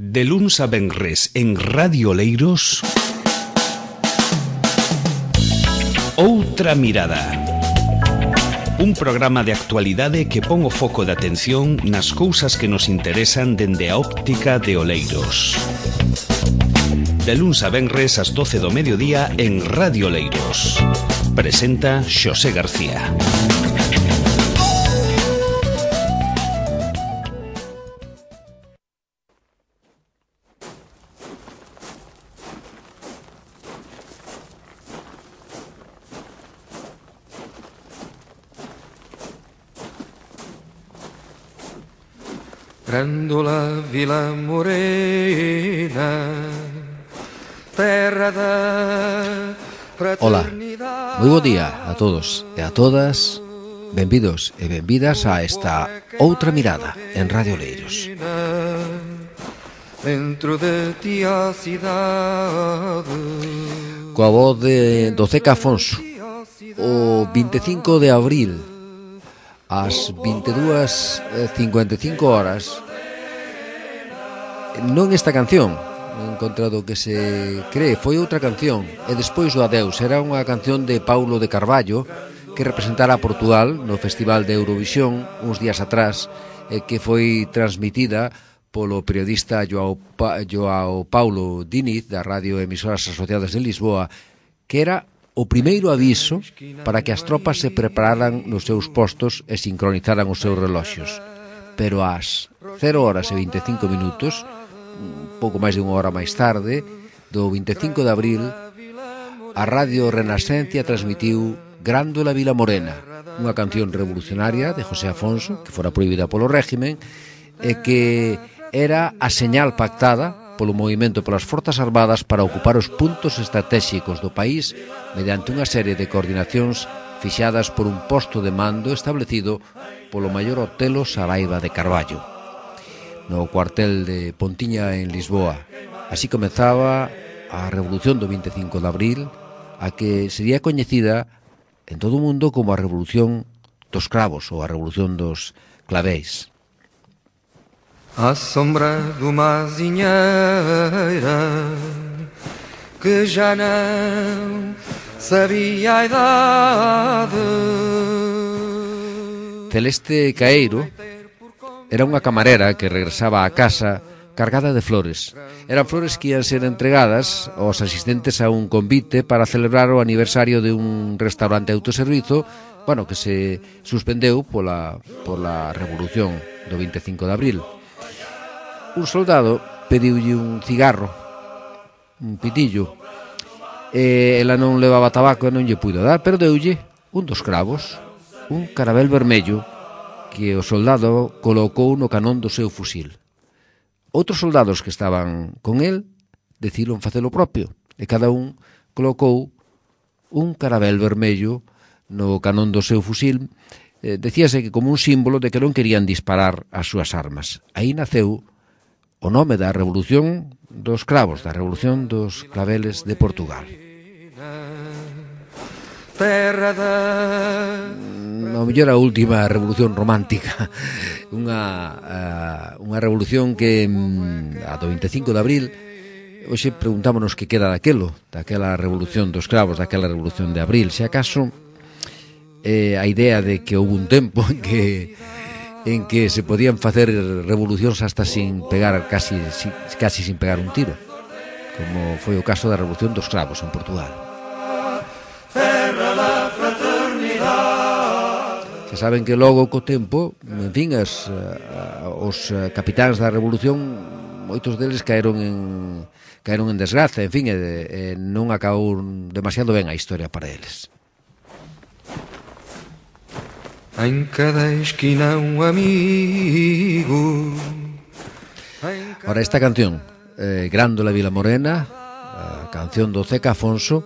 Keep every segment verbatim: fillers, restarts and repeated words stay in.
De luns a venres en Radio Oleiros, Outra Mirada. Un programa de actualidade que pon o foco de atención nas cousas que nos interesan dende a óptica de Oleiros. De luns a venres ás doce do mediodía en Radio Oleiros. Presenta Xosé García. Grândola Vila Morena, terra da fraternidade. Ola, moi bo día a todos e a todas. Benvidos e benvidas a esta Outra Mirada en Radio Oleiros. Dentro de ti a cidade. Coa voz de do Ceca Afonso, o vinte e cinco de abril, ás vinte e dúas e cincuenta e cinco horas. Non esta canción, non encontrado que se cree, foi outra canción, e despois o adeus. Era unha canción de Paulo de Carballo que representara a Portugal no Festival de Eurovisión uns días atrás, e que foi transmitida polo periodista Joao, pa, Joao Paulo Diniz da Radio Emisoras Asociadas de Lisboa, que era o primeiro aviso para que as tropas se prepararan nos seus postos e sincronizaran os seus reloxos. Pero ás cero horas e vinte e cinco minutos, un pouco máis de unha hora máis tarde, do vinte e cinco de abril, a Radio Renascencia transmitiu Grândola Vila Morena, unha canción revolucionaria de José Afonso, que fora prohibida polo régimen, e que era a señal pactada polo movimento polas Forzas Armadas para ocupar os puntos estratégicos do país mediante unha serie de coordinacións fixadas por un posto de mando establecido polo maior hotelo Saraiva de Carballo, no cuartel de Pontiña en Lisboa. Así comezaba a revolución do vinte e cinco de abril, a que sería coñecida en todo o mundo como a revolución dos cravos ou a revolución dos claveis. À sombra de uma azinheira que já não sabia a idade. Celeste Caeiro era unha camarera que regresaba á casa cargada de flores. Eran flores que ian ser entregadas aos asistentes a un convite para celebrar o aniversario de un restaurante autoservizo, bueno, que se suspendeu pola, pola revolución do vinte e cinco de abril. Un soldado pediulle un cigarro, un pitillo, e ela non levaba tabaco e non lle puido dar, pero deulle un dos cravos, un carabel vermello que o soldado colocou no canón do seu fusil. Outros soldados que estaban con el decidiron facelo propio, e cada un colocou un carabel vermello no canón do seu fusil. Eh, decíase que como un símbolo de que non querían disparar as súas armas. Aí naceu o nome da revolución dos cravos, da revolución dos claveles de Portugal. Terra da... A mellor a última revolución romántica, unha, unha revolución que a do vinte e cinco de abril, hoxe preguntámonos que queda daquelo, daquela revolución dos cravos, daquela revolución de abril. Se acaso eh, a idea de que houve un tempo en que en que se podían facer revolucións hasta sin pegar casi, casi sin pegar un tiro, como foi o caso da revolución dos cravos en Portugal. Se saben que logo co tempo, en fin, as, os capitáns da revolución, moitos deles caeron en caeron en desgraza, en fin, e, e non acabou demasiado ben a historia para eles. Em cada esquina un amigo. Ora, esta canción, eh, Grândola Vila Morena, a canción do Ceca Afonso,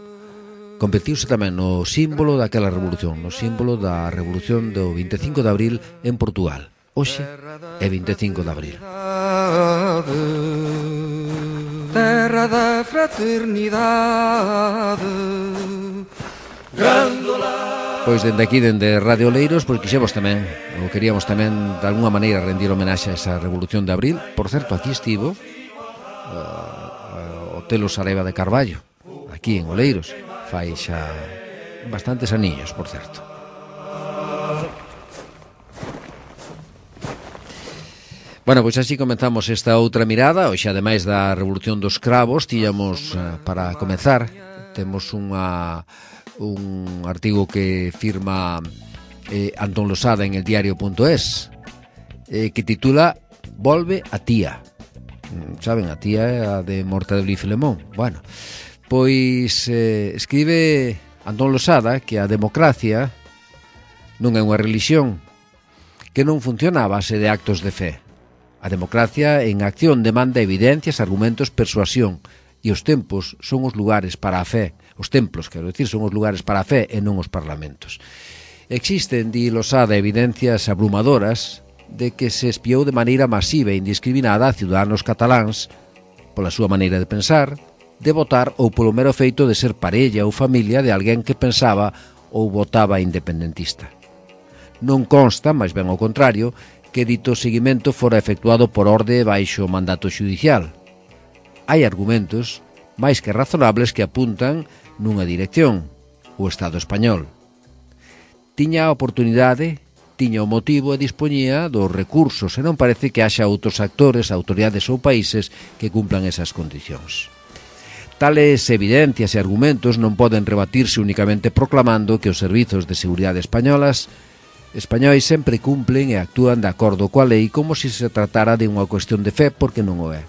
convertiuse tamén no símbolo daquela revolución, no símbolo da revolución do vinte e cinco de abril en Portugal. Hoxe é vinte e cinco de abril. Terra da fraternidade. Grândola. Pois dende aquí, dende Radio Oleiros, pois quixemos tamén, ou queríamos tamén de alguna maneira rendir homenaxe a esa revolución de abril. Por certo, aquí estivo uh, o Telo Sareva de Carballo, aquí en Oleiros, fai xa bastantes aniños, por certo. Bueno, pois así comenzamos esta outra mirada. Hoxe, ademais da Revolución dos Cravos, tiñamos, uh, para comenzar, temos unha, un artigo que firma eh, Antón Losada en el diario punto es, eh, que titula Volve a tía. Saben, a tía é a de Mortadelo e Filemón. Bueno, pois eh, escribe Antón Losada que a democracia non é unha relixión, que non funciona a base de actos de fe. A democracia en acción demanda evidencias, argumentos, persuasión, e os tempos son os lugares para a fe. Os templos, quero dicir, son os lugares para a fe e non os parlamentos. Existen, di Losada, evidencias abrumadoras de que se espiou de maneira masiva e indiscriminada a ciudadanos cataláns pola súa maneira de pensar, de votar ou polo mero feito de ser parella ou familia de alguén que pensaba ou votaba independentista. Non consta, máis ben ao contrario, que dito seguimento fora efectuado por orde baixo mandato xudicial. Hai argumentos máis que razonables que apuntan nunha dirección, o Estado español. Tiña a oportunidade, tiña o motivo e dispoñía dos recursos, e non parece que haxa outros actores, autoridades ou países que cumplan esas condicións. Tales evidencias e argumentos non poden rebatirse únicamente proclamando que os servizos de seguridade españolas españois sempre cumplen e actúan de acordo coa lei como se se tratara de unha cuestión de fe, porque non o é.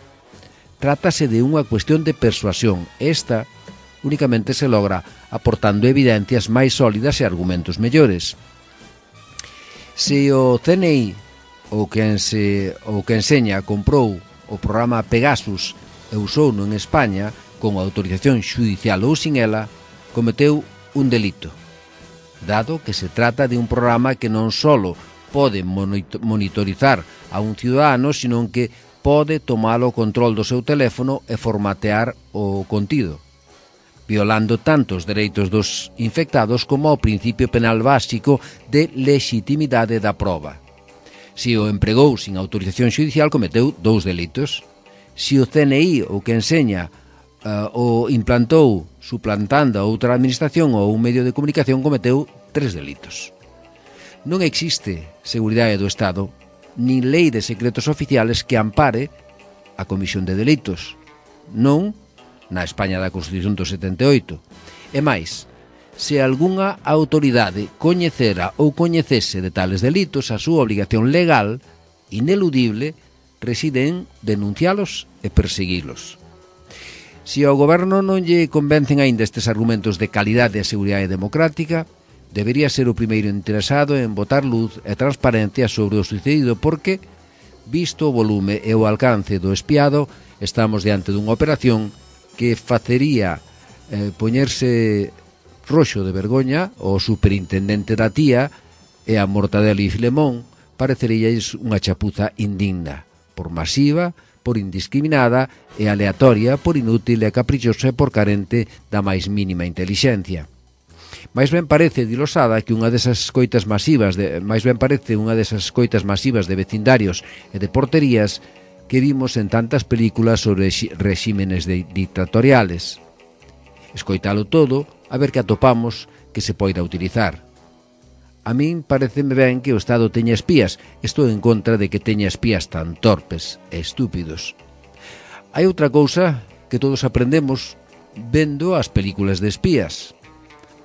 Trátase de unha cuestión de persuasión. Esta únicamente se logra aportando evidencias máis sólidas e argumentos mellores. Se o C N I ou quen, se, ou quen enseña comprou o programa Pegasus e usouno en España con autorización xudicial ou sin ela, cometeu un delito, dado que se trata de un programa que non solo pode monitorizar a un ciudadano, sino que pode tomar o control do seu teléfono e formatear o contido, violando tanto os dereitos dos infectados como o principio penal básico de lexitimidade da proba. Se o empregou sin autorización xudicial, cometeu dous delitos. Se o C N I ou que enseña uh, o implantou suplantando a outra administración ou un medio de comunicación, cometeu tres delitos. Non existe seguridade do Estado nin lei de secretos oficiales que ampare a comisión de delitos, non na España da Constitución do setenta e oito. E máis, se algunha autoridade coñecera ou coñecese de tales delitos, a súa obligación legal, ineludible, reside en denuncialos e perseguilos. Se ao goberno non lle convencen aínda estes argumentos de calidade e seguridade democrática, debería ser o primeiro interesado en botar luz e transparencia sobre o sucedido, porque, visto o volume e o alcance do espiado, estamos diante dunha operación que facería eh, poñerse roxo de vergoña o superintendente da tía e a Mortadelo e Filemón pareceríais unha chapuza indigna, por masiva, por indiscriminada e aleatoria, por inútil e caprichosa e por carente da máis mínima intelixencia. Mais ben parece, di Losada, que unha desas coitas masivas de, máis ben parece unha desas coitas masivas de vecindarios e de porterías que vimos en tantas películas sobre regímenes de dictatoriales. Escoitalo todo, a ver que atopamos que se poida utilizar. A min pareceme ben que o Estado teña espías. Estou en contra de que teña espías tan torpes e estúpidos. Hai outra cousa que todos aprendemos vendo as películas de espías.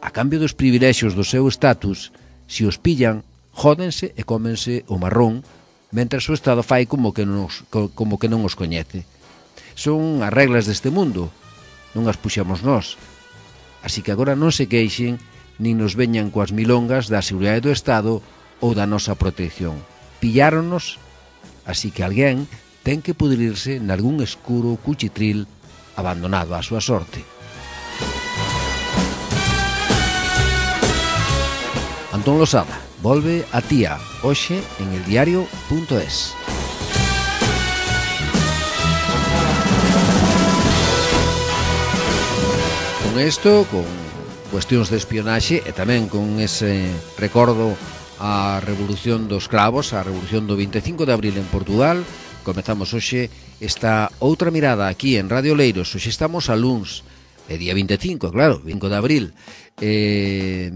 A cambio dos privilexios do seu estatus, se os pillan, jódense e cómense o marrón, mentras o Estado fai como que non os, como que non os coñece. Son as reglas deste mundo, non as puxamos nós. Así que agora non se queixen nin nos veñan coas milongas da seguridade do Estado ou da nosa protección. Pilláronos, así que alguén ten que pudrirse nalgún escuro cuchitril abandonado á súa sorte. Antón Losada, volve a tía, hoxe en el diario punto es. Con isto, con cuestións de espionaxe e tamén con ese recordo á Revolución dos Cravos, a Revolución do vinte e cinco de abril en Portugal, Comezamos hoxe esta outra mirada aquí en Radio Oleiros. Hoxe estamos a luns, é día vinte e cinco, claro, cinco de abril. Eh,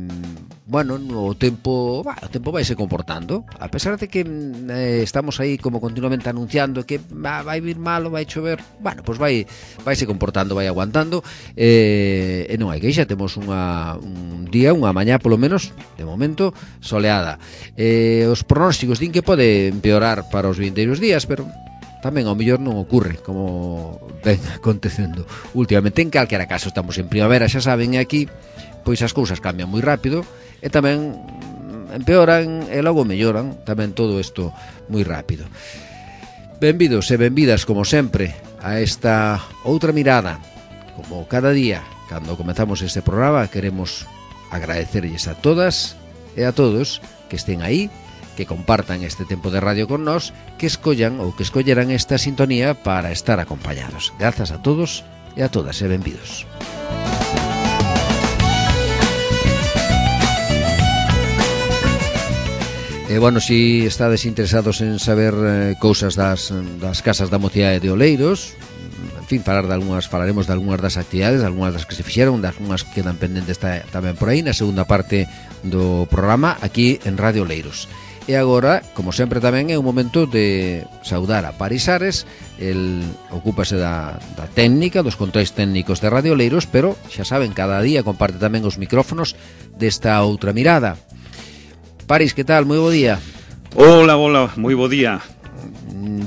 bueno, o tempo, bah, o tempo vai se comportando, a pesar de que eh, estamos aí como continuamente anunciando que bah, vai vir malo, vai chover. Bueno, pois vai vai se comportando, vai aguantando. Eh, e non hai queixa, temos unha, un día, unha mañá polo menos, de momento, soleada. Eh, os pronósticos din que pode empeorar para os vindeiros días, pero tamén ao mellor non ocurre como ven acontecendo últimamente. En calquera caso, estamos en primavera, xa saben, e aquí pois as cousas cambian moi rápido e tamén empeoran e logo melloran tamén todo isto moi rápido. Benvidos e benvidas, como sempre, a esta outra mirada. Como cada día, cando comezamos este programa, queremos agradecerlles a todas e a todos que estén aí, que compartan este tempo de radio con nós, que escollan ou que escolleran esta sintonía para estar acompañados. Grazas a todos e a todas e benvidos. E, bueno, si estades interesados en saber eh, cousas das, das casas da mocidade de Oleiros, en fin, falar de algunhas, falaremos de algunhas das actividades, algunhas das que se fixeron, de algunhas que quedan pendentes ta, tamén por aí, na segunda parte do programa, aquí en Radio Oleiros. E agora, como sempre tamén, é un momento de saudar a Paris Ares. El ocúpase da, da técnica, dos controis técnicos de Radio Oleiros, pero, xa saben, cada día comparte tamén os micrófonos desta outra mirada. Paris, que tal? Moi bo día. Hola, hola, moi bo día.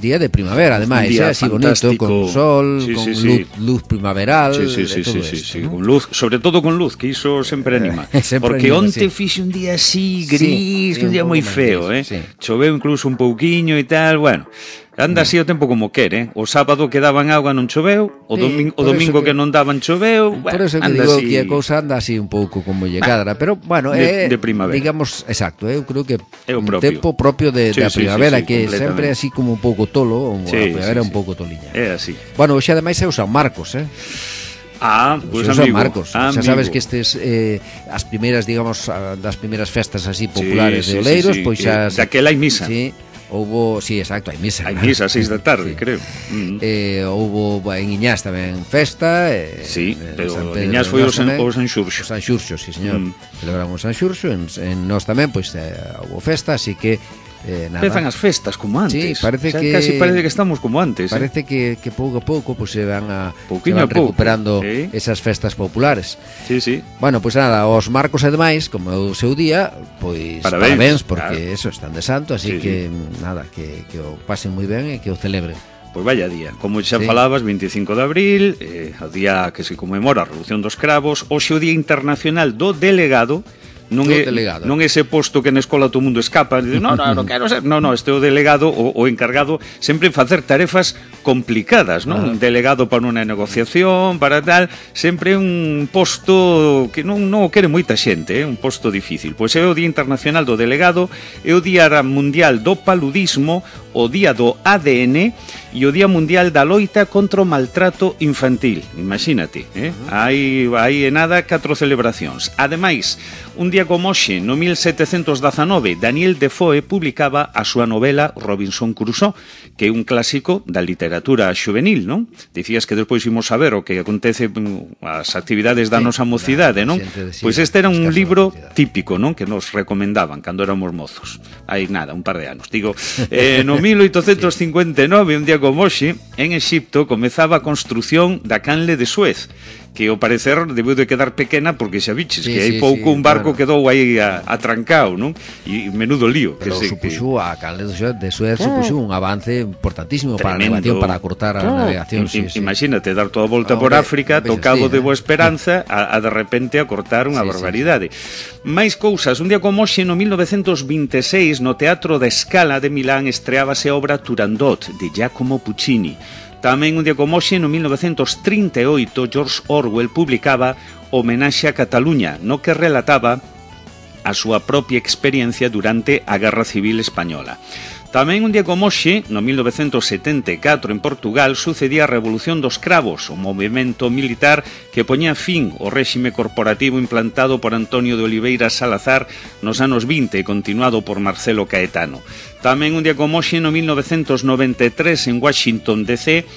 Día de primavera, ademais, eh, así bonito, con sol, sí, con sí, luz, sí. luz primaveral, sí, sí, sí, todo sí, esto, sí, ¿no? Con luz, sobre todo con luz, que iso sempre anima. sempre Porque anima, onte sí. fixe un día así gris, sí, sí, un día un moi feo, gris, eh. sí. Choveu incluso un pouquiño e tal, bueno. Anda así o tempo como quere, eh? O sábado que daban auga non choveu, o, Sí, domingo, o por eso domingo que... que- que non daban choveu, Por bueno, eso que anda digo así. que a cousa anda así un pouco como lle cadra, pero bueno, De- é de primavera. digamos, exacto, eu creo que É o un propio. tempo propio de, Sí, da sí, sí, primavera, sí, que completamente. sempre é así como un pouco tolo, ou Sí, a primavera sí, un sí. pouco toliña. É así. Bueno, hoxe ademais é o San Marcos, eh? Ah, Pois pois pues amigo, San Marcos. amigo. Xa sabes que estes eh, as primeiras, digamos, a- das primeiras festas así populares Sí, sí, de Oleiros, sí, sí, pois que xa daquela hai misa. Sí, houbo, sí, exacto, hai misa. Hai claro. misa a seis da tarde, Sí. creo. Mm. Eh, houbo en Iñás tamén festa, eh, Sí, en pero San en Pedro Iñás de foi o Nós San- tamén. o San Xurxo. O San Xurxo, sí, señor. Mm. Celebramos o San Xurxo, en, en nós tamén, pois eh, houbo festa, así que eh, nada. Empezan as festas como antes. Sí, parece Xa que- casi parece que estamos como antes, eh? Parece que, que pouco a pouco pues, se van, a, se Pouquiño van a pouco, recuperando sí. esas festas populares. Sí, sí. Bueno, pois pues nada, os Marcos e demais, como é o seu día, pois Parabéns, parabéns, porque claro. eso, están de santo, así Sí, que nada, que, que o pasen moi ben e que o celebren. Pois vaya día. Como xa Sí. falabas, vinte e cinco de abril, eh, o día que se conmemora a Revolución dos Cravos, hoxe o Día Internacional do Delegado. Non Do é, delegado. non é ese posto que na escola todo o mundo escapa, dice, no, no, non quero ser. No, no, este é o delegado, o, o encargado sempre en facer tarefas complicadas, non? Ah. Un delegado para unha negociación, para tal, sempre un posto que non, non o quere moita xente, eh? Un posto difícil. Pois é o Día Internacional do Delegado, é o Día Mundial do Paludismo, o Día do A D N e o Día Mundial da Loita contra o Maltrato Infantil. Imagínate, eh? Hai, hai en nada catro celebracións. Ademais, un día como hoxe, no mil setecentos dezanove, Daniel Defoe publicaba a súa novela Robinson Crusoe, que é un clásico da literatura xuvenil, non? Dicías que despois imos saber o que acontece mm, as actividades da Sí, nosa mocidade, da non? xente de- sí, Pois este era das un casas libro da mocidade. típico, non? Que nos recomendaban cando éramos mozos. Hai nada, un par de anos. Digo, eh, no mil oitocentos cincuenta e nove, un día como hoxe, en Exipto comezaba a construción da canle de Suez, que ao parecer debeu de quedar pequena porque xa biches Sí, que hai sí, pouco sí, un barco bueno. quedou aí a- atrancado, non? E menudo lío. Pero que se, supuxo a canle de Suez, de Suez supuxo un avance importantísimo para a Tremendo. navegación, para cortar a Claro, navegación. im- sí, im- sí. Imagínate dar toda a volta Hombre, por África, veces to Cabo sí, de eh. Boa Esperanza, a, a de repente a cortar unha Sí, sí, barbaridade. Máis cousas, un día como hoxe, no mil novecentos vinte e seis, no Teatro da Scala de Milán estreábase a obra Turandot, de Giacomo Puccini. Tamén un día como hoxe, no mil novecentos trinta e oito, George Orwell publicaba Homenaxe a Cataluña, no que relataba a súa propia experiencia durante a Guerra Civil Española. Tamén un día como hoxe, no mil novecentos setenta e catro en Portugal, sucedía a Revolución dos Cravos, o movimento militar que poñía fin ao réxime corporativo implantado por Antonio de Oliveira Salazar nos anos vinte e continuado por Marcelo Caetano. Tamén un día como hoxe, no mil novecentos noventa e tres, en Washington D C,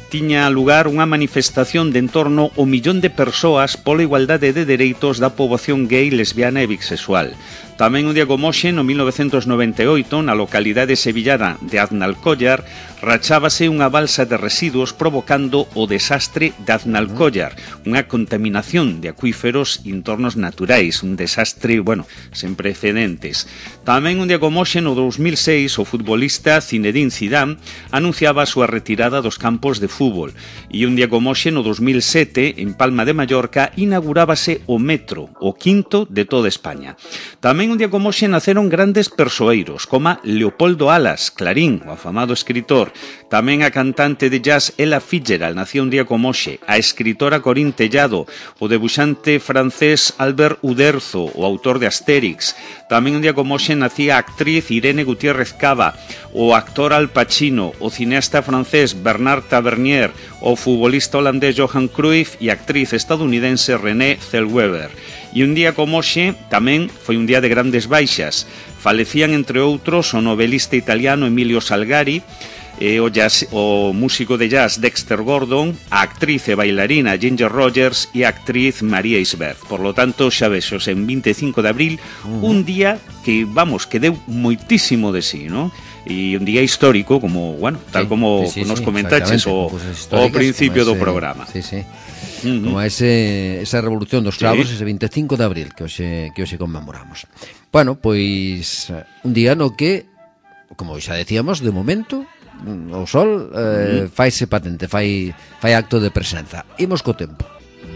tiña lugar unha manifestación de en torno ao millón de persoas pola igualdade de dereitos da poboación gay, lesbiana e bisexual. Tamén un día como hoxe, no mil novecentos noventa e oito, na localidade sevillana de Aznalcóllar, rachábase unha balsa de residuos provocando o desastre de Aznalcóllar, unha contaminación de acuíferos e entornos naturais, un desastre, bueno, sen precedentes. Tamén un día como hoxe, no dous mil seis, o futbolista Zinedine Zidane anunciaba a súa retirada dos campos de fútbol. E un día como hoxe, no dous mil sete, en Palma de Mallorca, inaugurábase o metro, o quinto de toda España. Tamén un día como hoxe naceron grandes persoeiros, como Leopoldo Alas, Clarín, o afamado escritor. Tamén a cantante de jazz Ella Fitzgerald nacía un día como hoxe. A escritora Corín Tellado, o debuxante francés Albert Uderzo, o autor de Astérix. Tamén un día como hoxe nacía a actriz Irene Gutiérrez Cava, o actor Al Pacino, o cineasta francés Bernard Tavernier, o futbolista holandés Johan Cruyff e a actriz estadounidense Renée Zellweger. E un día como hoxe tamén foi un día de grandes baixas. Falecían, entre outros, o novelista italiano Emilio Salgari, e o, jazz, o músico de jazz Dexter Gordon, a actriz e bailarina Ginger Rogers e a actriz María Isbert. Por lo tanto, xa vexos, en vinte e cinco de abril, uh-huh. un día que, vamos, que deu moitísimo de sí, ¿no? E un día histórico, como, bueno, tal sí, como sí, sí, nos comentaches sí, o, o principio ese, do programa. Sí, sí. Uh-huh. Como ese, esa revolución dos cravos, sí. Ese vinte e cinco de abril que hoxe, que hoxe conmemoramos. Bueno, pois un día no que, como xa decíamos, de momento o sol eh, uh-huh. faise patente, fai, fai acto de presenza. Imos co tempo.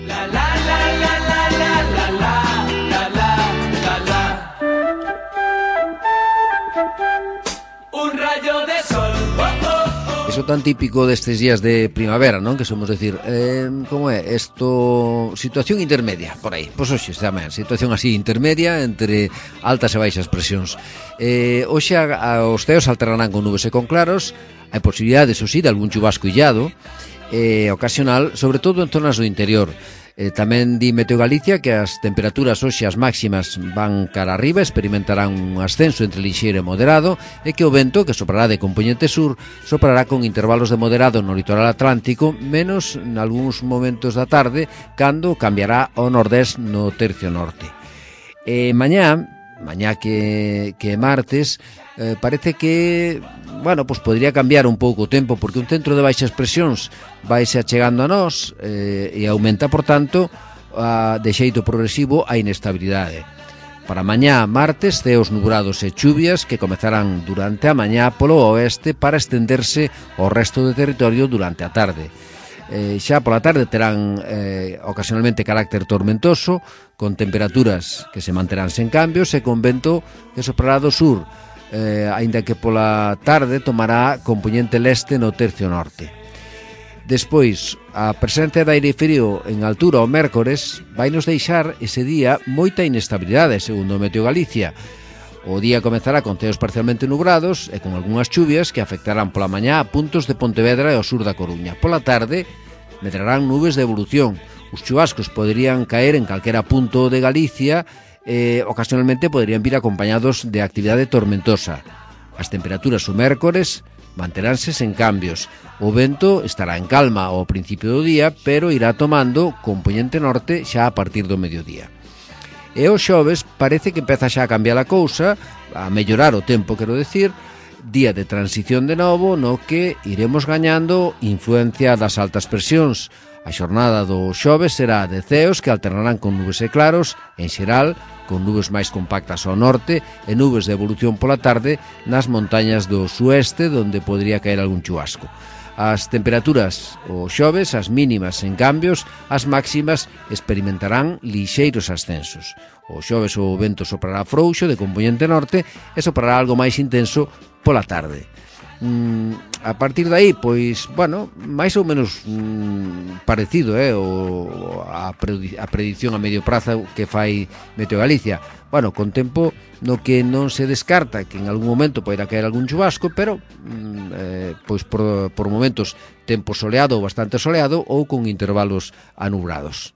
La, la, la, la, la, la, la, la, la, la, la. Un rayo de sol. Oh, oh. Eso tan típico destes días de primavera, non? Que somos decir, eh, como é? Esto, situación intermedia, por aí. Pois hoxe, tamén, situación así intermedia entre altas e baixas presións. Eh, hoxe a, a, os ceos alternarán con nubes e con claros. Hai posibilidades, o sí, de algún chubasco illado eh, ocasional, sobre todo en zonas do interior. Eh, tamén di Meteo Galicia que as temperaturas hoxe as máximas van cara arriba, experimentarán un ascenso entre lixeiro e moderado, e que o vento, que soprará de componente sur, soprará con intervalos de moderado no litoral atlántico, menos en algúns momentos da tarde, cando cambiará ao nordés no tercio norte. Eh, mañá, mañá que, que martes, eh, parece que, bueno, pues podría cambiar un pouco o tempo, porque un centro de baixas presións vaise achegando a nós eh, e aumenta, por tanto, a, de xeito progresivo a inestabilidade. Para mañá, martes, ceos nubrados e chuvias que comezarán durante a mañá polo oeste para estenderse ao resto do territorio durante a tarde. Eh, xa pola tarde terán eh, ocasionalmente carácter tormentoso, con temperaturas que se manterán sen cambios e con vento que soprará do sur, eh, aínda que pola tarde tomará compoñente leste no tercio norte. Despois, a presencia de aire frío en altura o mércores vai nos deixar ese día moita inestabilidade, segundo Meteo Galicia. O día comezará con ceos parcialmente nubrados e con algunhas chuvias que afectarán pola mañá a puntos de Pontevedra e ao sur da Coruña. Pola tarde, medrarán nubes de evolución. Os chubascos poderían caer en calquera punto de Galicia e ocasionalmente poderían vir acompañados de actividade tormentosa. As temperaturas o mércores manteránse sen cambios. O vento estará en calma ao principio do día, pero irá tomando compoñente norte xa a partir do mediodía. E o xoves parece que empeza xa a cambiar a cousa, a mellorar o tempo, quero decir, día de transición de novo no que iremos gañando influencia das altas presións. A xornada do xoves será de ceos que alternarán con nubes e claros, en xeral, con nubes máis compactas ao norte e nubes de evolución pola tarde nas montañas do sueste, onde podría caer algún chubasco. As temperaturas o xoves, as mínimas en cambios, as máximas experimentarán lixeiros ascensos. O xoves o vento soprará frouxo de compoñente norte e soprará algo máis intenso pola tarde. mm, a partir de aí, pois, bueno, máis ou menos mm, parecido, eh, o, a, predi a predicción a medio prazo que fai Meteo Galicia. Bueno, con tempo no que non se descarta que en algún momento poida caer algún chubasco, pero mm, eh, pois por, por momentos tempo soleado ou bastante soleado ou con intervalos anubrados.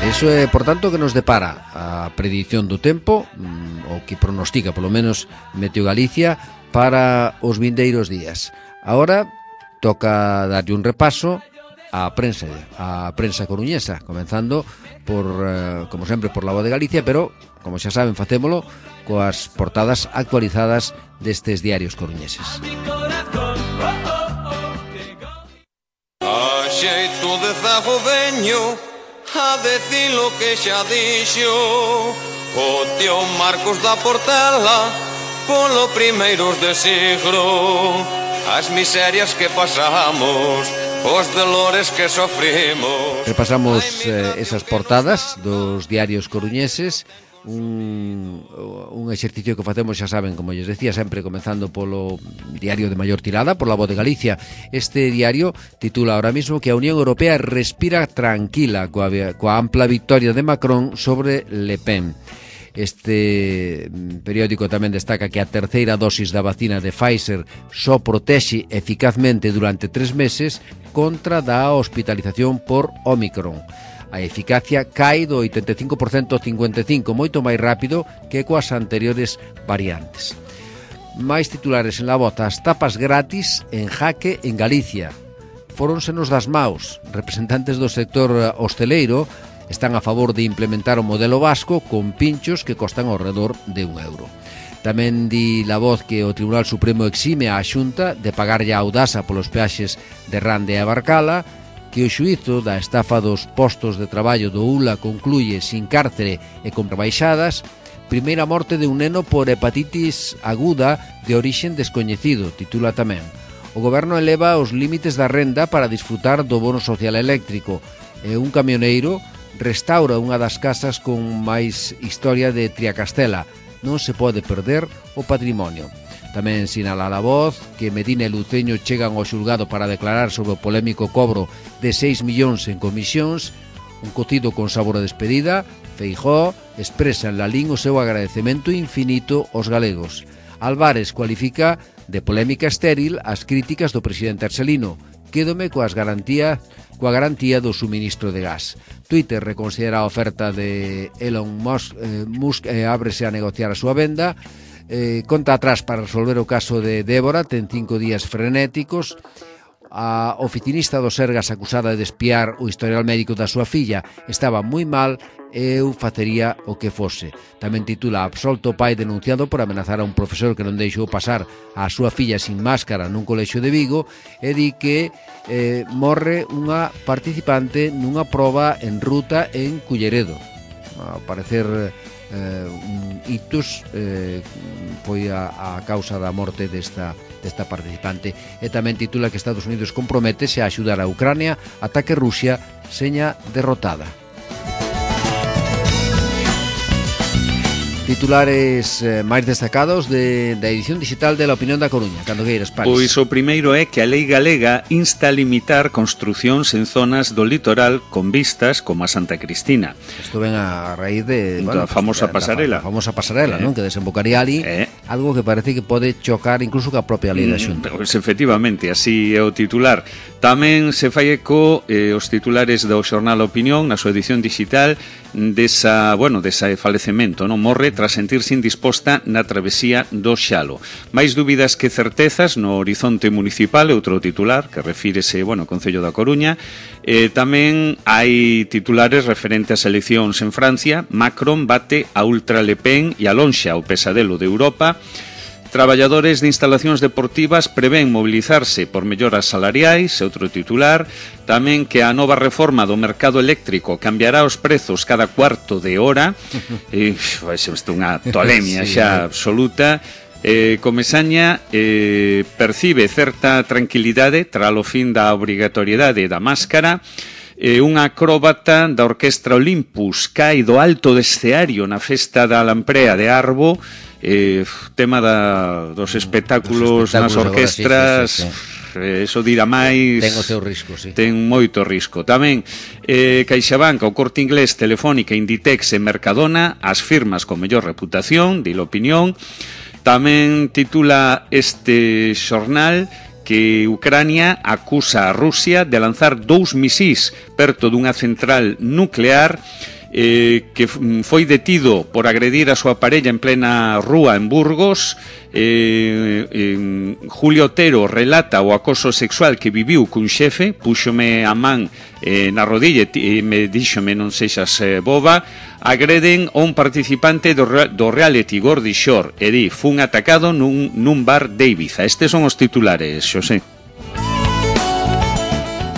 Eso é, por tanto, que nos depara a predición do tempo, o que pronostica, polo menos, Meteo Galicia para os vindeiros días. Agora toca darlle un repaso á prensa, á prensa coruñesa, comenzando por, eh, como sempre, por la Voz de Galicia, pero, como xa saben, facémolo coas portadas actualizadas destes diarios coruñeses. A xeito de zago veño a decir lo que xa dixo o tío Marcos da Portela polo primeiros de siglo, as miserias que pasamos, os dolores que sofrimos. Repasamos eh, esas portadas dos diarios coruñeses, un, un exercicio que facemos, xa saben, como lles decía, sempre comenzando polo diario de maior tirada, por la Voz de Galicia. Este diario titula ahora mismo que a Unión Europea respira tranquila coa, coa ampla victoria de Macron sobre Le Pen. Este periódico tamén destaca que a terceira dosis da vacina de Pfizer só protexe eficazmente durante tres meses contra da hospitalización por Omicron. A eficacia cae do oitenta e cinco por ciento ao cincuenta e cinco por ciento, moito máis rápido que coas anteriores variantes. Máis titulares en La Voz: as tapas gratis en jaque en Galicia. Fóronsenos das maus. Representantes do sector hosteleiro están a favor de implementar o modelo vasco con pinchos que costan ao redor de un euro. Tamén di La Voz que o Tribunal Supremo exime a Xunta de pagarlle a Audasa polos peaxes de Rande e Abarcala, que o xuízo da estafa dos postos de traballo do U L A concluye sin cárcere e con rebaixadas. Primeira morte de un neno por hepatitis aguda de orixen descoñecido, titula tamén. O goberno eleva os límites da renda para disfrutar do bono social eléctrico e un camioneiro restaura unha das casas con máis historia de Triacastela. Non se pode perder o patrimonio. Tamén sinala La Voz que Medina e Luceño chegan ao xulgado para declarar sobre o polémico cobro de seis millóns en comisións. Un cocido con sabor a despedida. Feijóo expresa en Lalín o seu agradecemento infinito aos galegos. Álvarez cualifica de polémica estéril as críticas do presidente Arcelino. Quédome coas garantías coa garantía do suministro de gas. Twitter reconsidera a oferta de Elon Musk, eh, Musk eh, ábrese a negociar a súa venda. Eh, conta atrás para resolver o caso de Débora, ten cinco días frenéticos. A oficinista do Sergas acusada de espiar o historial médico da súa filla estaba moi mal e eu facería o que fose. Tamén titula: absolto o pai denunciado por amenazar a un profesor que non deixou pasar a súa filla sin máscara nun colexio de Vigo, e di que eh, morre unha participante nunha proba en ruta en Culleredo. Ao parecer eh, un ictus eh, foi a, a causa da morte desta, desta participante. E tamén titula que Estados Unidos comprométese a axudar a Ucrania ata que Rusia seña derrotada. Titulares eh, máis destacados de, da edición digital de La Opinión da Coruña, cando queiras, Paris. Pois o primeiro é que a lei galega insta a limitar construcións en zonas do litoral con vistas como a Santa Cristina. Isto ven a raíz de... Bueno, a famosa pues, pasarela. A famosa pasarela, eh. non? Que desembocaría ali, eh. algo que parece que pode chocar incluso ca propia lei da Xunta. Pois efectivamente, así é o titular. Tamén se fai eco eh, os titulares do xornal Opinión na súa edición digital desa, bueno, desa falecemento, non? Morre tras sentirse indisposta na travesía do Xalo. Máis dúbidas que certezas no horizonte municipal, outro titular que refírese, bueno, ao Concello da Coruña. Eh, tamén hai titulares referentes ás eleccións en Francia. Macron bate a ultra Le Pen e alonxa o pesadelo de Europa. Traballadores de instalacións deportivas prevén mobilizarse por melloras salariais, outro titular. Tamén que a nova reforma do mercado eléctrico cambiará os prezos cada cuarto de hora. E, vai ser unha tolemia sí, xa absoluta. Eh, Comesaña eh, percibe certa tranquilidade tras o fin da obrigatoriedade da máscara. E unha acróbata da Orquestra Olympus cae do alto do escenario na festa da Lamprea de Arbo, eh, tema da, dos espectáculos, dos espectáculos nas orquestras, agora, sí, sí, sí, sí. Eso dirá máis, ten o seu risco, sí. Ten moito risco. Tamén eh, CaixaBank, o Corte Inglés, Telefónica, Inditex e Mercadona, as firmas con mellor reputación, di l'opinión. Tamén titula este xornal que Ucrania acusa a Rusia de lanzar dous misís perto dunha central nuclear, eh, que foi detido por agredir a súa parella en plena rúa en Burgos. eh, eh, Julio Otero relata o acoso sexual que viviu cun xefe, púxome a man eh, na rodilla e me díxome non sexas eh, boba. Agreden a un participante do, do reality Gordy Shore e di, fun atacado nun, nun bar de Ibiza. Estes son os titulares, Xosé.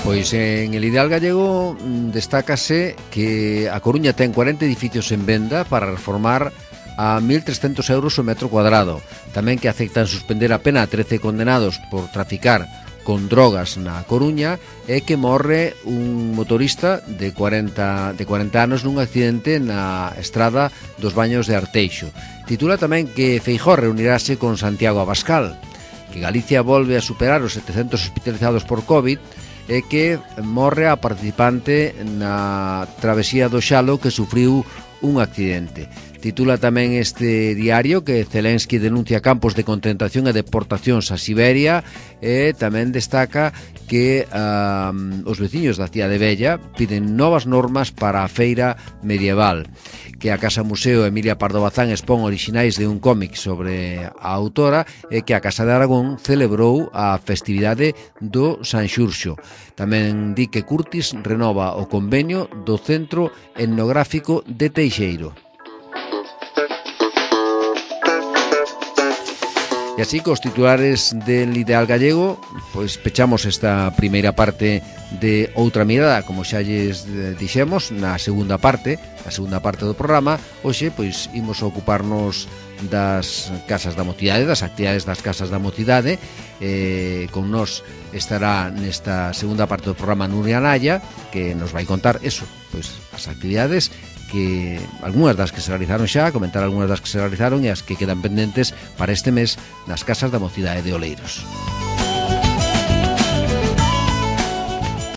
Pois en el Ideal Gallego destácase que a Coruña ten cuarenta edificios en venda para reformar a mil trescentos euros o metro cuadrado. Tamén que aceptan suspender a pena a trece condenados por traficar con drogas na Coruña, e que morre un motorista de cuarenta, de cuarenta anos nun accidente na estrada dos Baños de Arteixo. Titula tamén que Feijóo reunirase con Santiago Abascal, que Galicia volve a superar os setecentos hospitalizados por COVID, e que morre a participante na travesía do Xalo que sufriu un accidente. Titula tamén este diario que Zelensky denuncia campos de concentración e deportacións a Siberia, e tamén destaca que um, os veciños da cidade Bella piden novas normas para a feira medieval, que a Casa Museo Emilia Pardo Bazán expón orixinais de un cómic sobre a autora, e que a Casa de Aragón celebrou a festividade do San Xurxo. Tamén di que Curtis renova o convenio do Centro Etnográfico de Teixeiro. E así, cos titulares del Ideal Gallego, pois pechamos esta primeira parte de Outra Mirada. Como xa lles dixemos, na segunda parte, na segunda parte do programa, hoxe, pois, imos a ocuparnos das casas da mocidade, das actividades das casas da mocidade. Eh, con nós estará nesta segunda parte do programa Nuria Naya, que nos vai contar eso, pois, as actividades que algunhas das que se realizaron xa, comentar algunhas das que se realizaron e as que quedan pendentes para este mes nas casas da mocidade de Oleiros.